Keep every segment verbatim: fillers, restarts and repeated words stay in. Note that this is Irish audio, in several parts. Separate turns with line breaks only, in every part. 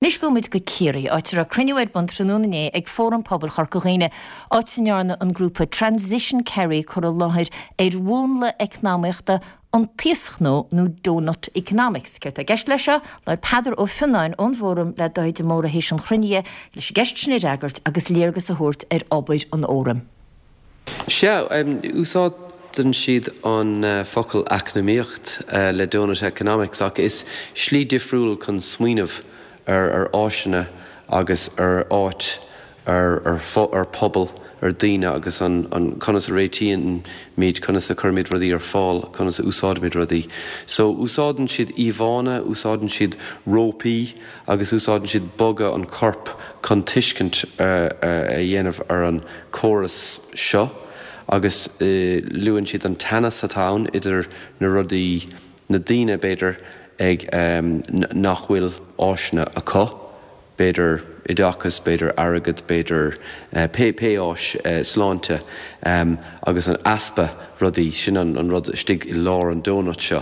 Anois gabhfaidh muid go Ciarraí, áit a raibh cruinniú ar bun tráthnóna inné ag Fóram Pobail Chorca Dhuibhne, áit a ndearna an grúpa Transition Kerry cur i láthair ar mhúnla eacnamaíochta an t-íoschnó nó Doughnut Economics. Céard tá i gceist leis seo? Labhair Peadar Ó Fionnáin ón bhFóram le Dáithí de Mórdha théis an chruinnithe leis an gceist sin a fhreagairt agus léargas a thabhairt ar obair an Fhóraim.
Sea, úsáideann siad an focal eacnamaíocht le Doughnut Economics ach is slí difriúil chun smaoineamh ar ar áiseanna agus ar áit, ar ar ar pobal, ar daoine agus an an conas a réitímid, conas a chuirimid rudaí ar fáil, conas a úsáidimid rudaí. So úsáideann siad íomhánna, úsáideann siad rópaí agus úsáideann siad bogadh an choirp chun tuiscint a dhéanamh ar an córas seo agus luann siad an teannas atá ann idir na rudaí, na daoine b'fhéidir ag nach bhfuil áiseanna acu, b'fhéidir oideachas, b'fhéidir airgead, b'fhéidir pé pé áis sláinte agus an easpa rudaí, sin an rud istigh i lár an donut seo.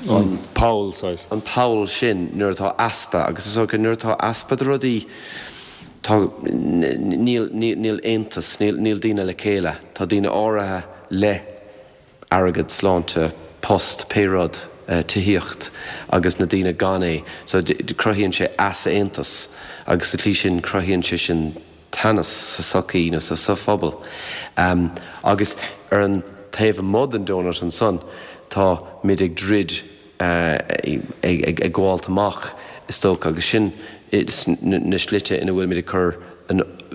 An poll, saghas.
An poll sin nuair atá easpa agus is dócha nuair atá easpa de rudaí tá níl níl aontas, níl níl daoine le chéile, tá daoine áirithe le airgead, sláinte, post, pé rud, tithíocht agus na daoine gan é. So cruthaíonn sé easaontas agus sa tslí sin cruthaíonn sé sin teannas sa sochaí nó sa phobal. Agus ar an taobh amuigh den donut ansan tá muid ag druid ag gabháilt amach is dócha agus sin na slite ina bhfuilimid ag cur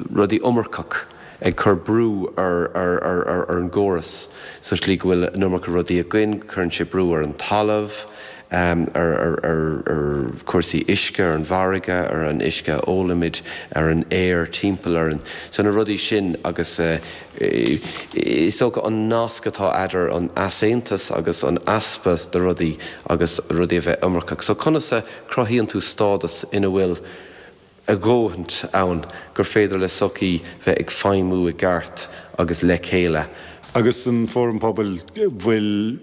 rudaí iomarcach ag cur brú ar ar an gcóras sa tslí go bhfuil an iomarca rudaí againn, cuireann sé brú ar an talamh, ar ar chúrsaí uisce, ar an bhfarraige, ar an uisce a ólaimid, ar an aer timpeall orainn. So na rudaí sin agus is dócha an nasc atá eadar an easaontas agus an easpa de rudaí agus rudaí a bheith iomarcach. So conas a cruthaíonn tú stádas ina bhfuil a dhóthain ann gur féidir le sochaí bheith ag feidhmiú i gceart agus le chéile.
Agus an Fóram Pobail, bhfuil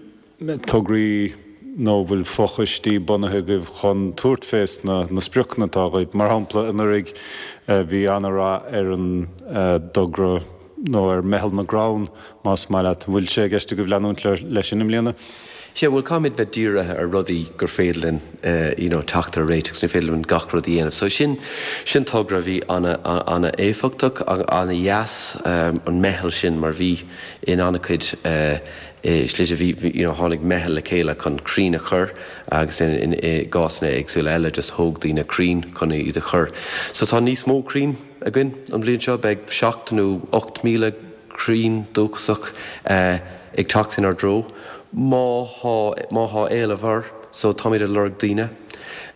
tograí nó bhfuil fochoistí bunaithe agaibh chun tabhairt fés na na spriocanna atá agaibh? Mar shampla, anuraidh bhí an-rath ar an dtogra nó ar Meitheal na gCrann, más maith leat. An bhfuil sé i gceist agaibh leanúint leis sin i mbliana?
Sea, bhuel, caithfimid bheith dírithe ar rudaí gur féidir linn you know teacht ar réiteach, ní féidir linn gach rud a dhéanamh. So sin, sin togra a bhí ana-éifeachtach, ana-dheas, an meitheal sin mar bhí in an-chuid slite, bhí, you know tháinig meitheal le chéile chun crainn a chur agus in i gcásanna éagsúla eile just thóg daoine crainn chun iad a chur. So tá níos mó crainn againn an bhliain seo, beidh seacht nó ocht míle crainn dúchasach ag teacht inár dtreo má thá má thá éileamh air so táimid ag lorg daoine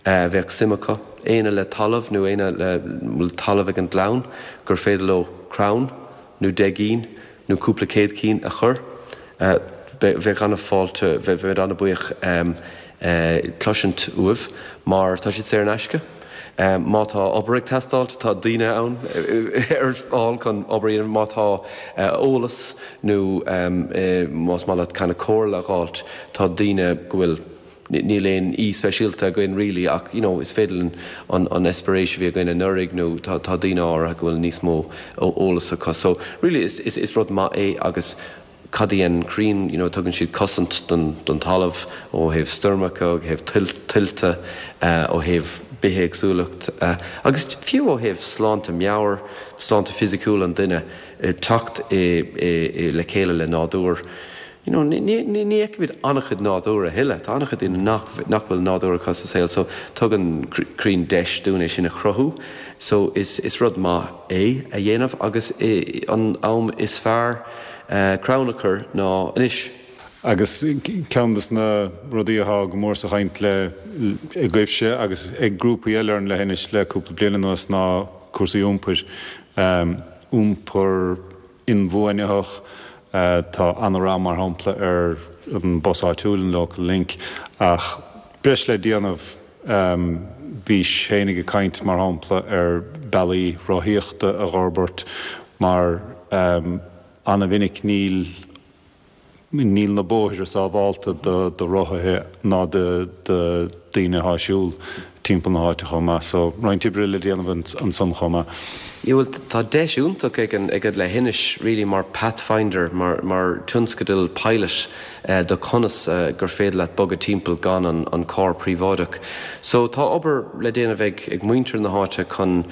a bheadh suim acu, éinne le talamh nó éinne le bhfuil talamh ag an gclann gur féidir leo crann nó deich gcinn nó cúpla céad cinn a chur. Bheadh an-fháilte, bheimid an-bhuíoch cloisint uaibh mar tá siad saor in aisce. Má tá obair ag teastáilt, tá daoine ann ar fáil chun obair a dhéanamh. Má tá eolas nó más maith leat kind of comhairle a dh'fháilt, tá daoine go bhfuil, níl aon aoi speisialta againn really ach you know is féidir linn an an eispéireas a bhí againn anuraidh nó tá tá daoine áirithe go bhfuil níos mó eolas acu. So really is is is rud maith é agus Cad a dhéanann crainn? You know, tugann siad cosaint don don talamh ó thaobh stoirmeacha, ó thaobh tuilte, ó thaobh bithéagsúlacht agus fiú ó thaobh sláinte meabhair, sláinte fisiciúil an duine, teacht i i le chéile le nádúr. You know, ní ní ní fheicimid an-chuid nádúr a thuilleadh. Tá an-chuid daoine nach nach bhfuil nádúr acu sa saol so tugann crainn deis dúinn é sin a chruthú. So is is rud maith é a dhéanamh agus an am is fearr crann a chur ná anois.
Agus ceann de na rudaí atá go mór sa chaint le agaibhse agus ag grúpaí eile ar an leithinis le cúpla bliain anuas ná cúrsaí iompair. Iompar inbhuanaitheach, tá an-rath mar shampla ar an bus áitiúil, an Local Link, ach breis le déanamh. Bhís féinig ag caint mar shampla ar bealaí rothaíochta a dh'fhorbairt mar an-mhinic níl níl na bóithre sábhálta do do rothaithe ná do do daoine atá ag siúl. timpeall na háite chomh maith. So roinnt oibre le déanamh ansan chomh maith.
Yeah, well, tá deis iontach ag an ag an leithinis really mar pathfinder, mar mar tionscadal pilot uh, do conas uh, gur féidir leat bogadh timpeall gan an, an carr príobháideach. So tá obair le déanamh ag ag muintir na háite chun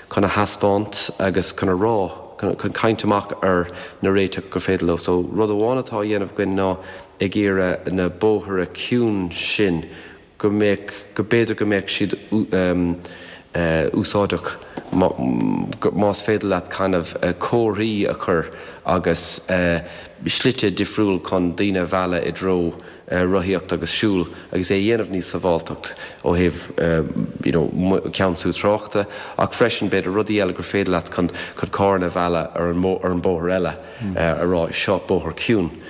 chun a thaispeáint agus chun a rá chun chun caint amach ar na réiteach gur féidir leo. So rud amháin atá á dhéanamh againn ná ag iarraidh na bóithre ciúin sin go mbeadh go b'fhéidir go mbeadh siad um, uh, úsáideach más féidir leat kind of uh, comharthaí a chur agus uh, slite difriúil chun daoine a mhealladh i dtreo uh, rothaíocht agus siúl agus é dhéanamh níos sábháilteacht ó thaobh uh, you know, ceansú tráchta ach freisin b'fhéidir rudaí eile gur féidir leat chun chun carranna a mhealladh ar an ar an bóthar eile mm. uh, a rá seo bóthar ciúin.